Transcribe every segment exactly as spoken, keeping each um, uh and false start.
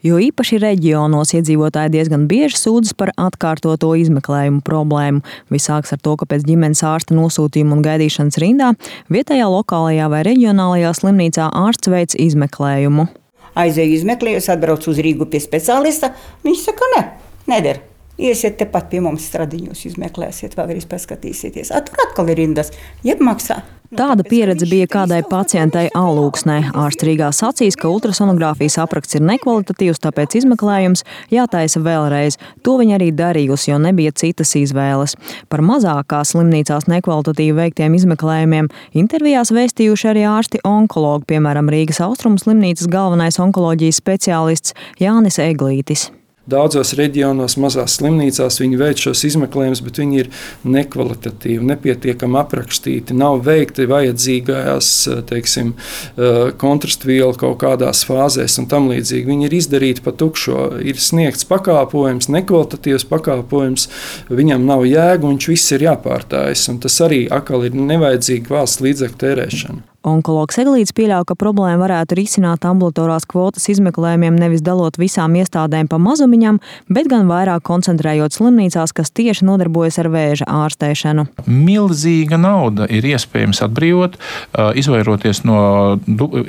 Jo īpaši reģionos iedzīvotāji diezgan bieži sūdzas par atkārtoto izmeklējumu problēmu. Viss sāks ar to, ka pēc ģimenes ārsta nosūtījuma un gaidīšanas rindā vietējā lokālajā vai reģionālajā slimnīcā ārsts veic izmeklējumu. Aizēju izmeklējus, atbraucu uz Rīgu pie speciālista. Viņš saka, ne, neder. Iesiet tepat pie mums Stradiņos, izmeklēsiet, vēlreiz paskatīsieties. A, tur atkal ir rindas, jeb maksā. Tāda pieredze bija kādai pacientei Alūksnē. Ārsts Rīgā sacīs, ka ultrasonogrāfijas apraksts ir nekvalitatīvs, tāpēc izmeklējums jātaisa vēlreiz. To viņa arī darījusi, jo nebija citas izvēles. Par mazākās slimnīcās nekvalitatīvi veiktiem izmeklējumiem intervijās vēstījuši arī ārsti onkologi, piemēram, Rīgas Austrumu slimnīcas galvenais onkoloģijas speciālists Jānis Eglītis. Daudzos reģionos, mazās slimnīcās viņi veic šos izmeklējumus, bet viņi ir nekvalitatīvi, nepietiekami aprakstīti, nav veikti vajadzīgajās, teiksim, kontrastvielu kaut kādās fāzēs un tam līdzīgi. Viņi ir izdarīti pa tukšo, ir sniegts pakāpojums, nekvalitatīvs pakāpojums, viņam nav jēga un viņš viss ir jāpārtājas, un tas arī atkal ir nevajadzīga valsts līdzekļu tērēšana. Onkologs Eglītis pieļauj, ka problēmu varētu risināt ambulatorās kvotas izmeklējumiem nevis dalot visām iestādēm pa mazumiņam, bet gan vairāk koncentrējot slimnīcās, kas tieši nodarbojas ar vēža ārstēšanu. Milzīga nauda ir iespējams atbrīvot, izvairoties no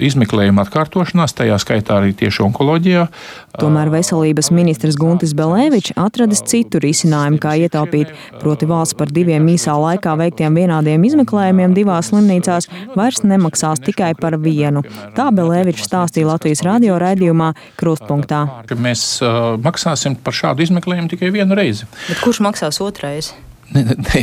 izmeklējuma atkārtošanās, tajā skaitā arī tieši onkoloģijā. Tomēr veselības ministrs Guntis Belēvičs atradis citu risinājumu, kā ietaupīt, proti valsts par diviem īsā laikā veiktiem vienādiem izmeklējumiem divās slimnīcās vairs nemaksās tikai par vienu. Tā Belēvičs stāstīja Latvijas radio raidījumā Krustpunktā. Mēs uh, maksāsim par šādu izmeklējumu tikai vienu reizi. Bet kurš maksās otrais? Ne, ne,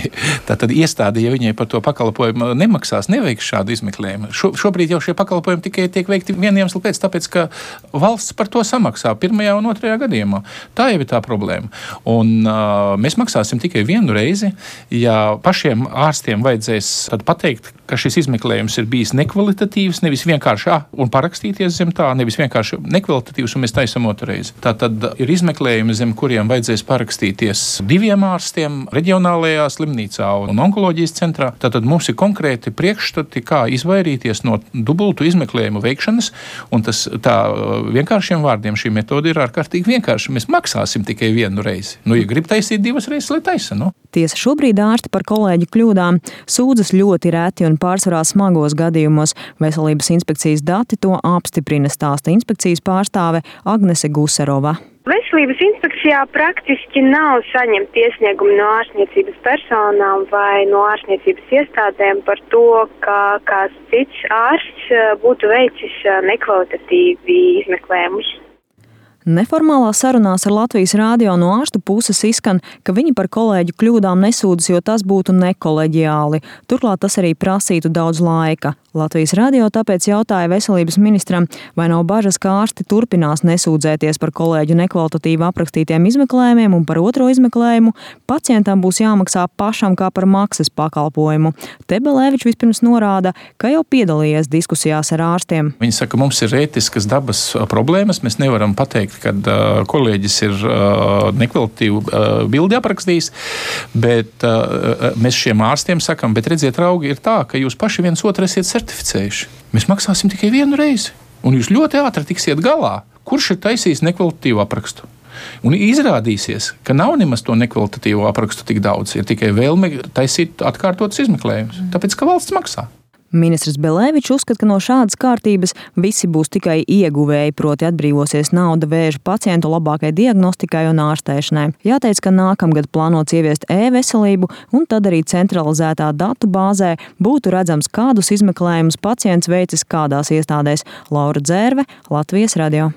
tā tad iestāde, ja viņai par to pakalpojumu nemaksās, neveiks šādu izmeklējumu. Šo, šobrīd jau šie pakalpojumi tikai tiek veikti vienu iemeslu pēc, tāpēc, ka valsts par to samaksā pirmajā un otrajā gadījumā. Tā jau ir tā problēma. Un uh, mēs maksāsim tikai vienu reizi, ja pašiem ārstiem vajadzēs tad pateikt, ka šis izmeklējums ir bijis nekvalitatīvs, nevis vienkārši ah, un parakstīties zem tā, nevis vienkārši nekvalitatīvs un mēs taisam otru reizi. Tā tad ir izmeklējumi, zem kuriem vajadzēs parakstīties diviem ārstiem reģionālajā slimnīcā un onkoloģijas centrā. Tātad mums ir konkrēti priekšstati, kā izvairīties no dubultu izmeklējumu veikšanas, un tas tā vienkāršiem vārdiem šī metode ir ārkārtīgi vienkārša. Mēs maksāsim tikai vienu reizi. Nu, ja grib taisīt divas reizes, lai taisa, nu. Tiesa šobrīd ārsti par kolēģu kļūdām sūdzas ļoti reti un pārsvarā smagos gadījumos. Veselības inspekcijas dati to apstiprina, stāsta inspekcijas pārstāve Agnese Guserova. Veselības inspekcijā praktiski nav saņemt iesniegumi no ārstniecības personām vai no ārstniecības iestādēm par to, ka kāds cits ārsts būtu veicis nekvalitatīvi izmeklējumus. Neformālā sarunās ar Latvijas radio no ārstu puses izskan, ka viņi par kolēģu kļūdām nesūdzas, jo tas būtu nekoleģiāli. Turklāt tas arī prasītu daudz laika. Latvijas radio tāpēc jautāja veselības ministram, vai nav bažas, ka ārsti turpinās nesūdzēties par kolēģu nekvalitatīvi aprakstītiem izmeklējumiem un par otro izmeklējumu pacientam būs jāmaksā pašam kā par maksas pakalpojumu. Te Belēvičs vispirms norāda, ka jau piedalījies diskusijās ar ārstiem. Viņi saka, mums ir ētiskas dabas problēmas, mēs nevaram pateikt, kad uh, kolēģis ir uh, nekvalitatīvu uh, bildi aprakstījis, bet uh, mēs šiem ārstiem sakam, bet redziet, raugi, ir tā, ka jūs paši viens otru esiet certificējuši. Mēs maksāsim tikai vienu reizi, un jūs ļoti ātri tiksiet galā. Kurš ir taisījis nekvalitatīvu aprakstu? Un izrādīsies, ka nav nemaz to nekvalitatīvo aprakstu tik daudz, ir tikai vēlme taisīt atkārtotas izmeklējumus, tāpēc, ka valsts maksā. Ministrs Belēvičs uzskata, ka no šādas kārtības visi būs tikai ieguvēji, proti atbrīvosies nauda vēža pacientu labākai diagnostikai un ārstēšanai. Jāteic, ka nākamgad plānots ieviest e-veselību, un tad arī centralizētā datu bāzē būtu redzams, kādus izmeklējumus pacients veicis kādās iestādēs. Laura Dzērve, Latvijas radio.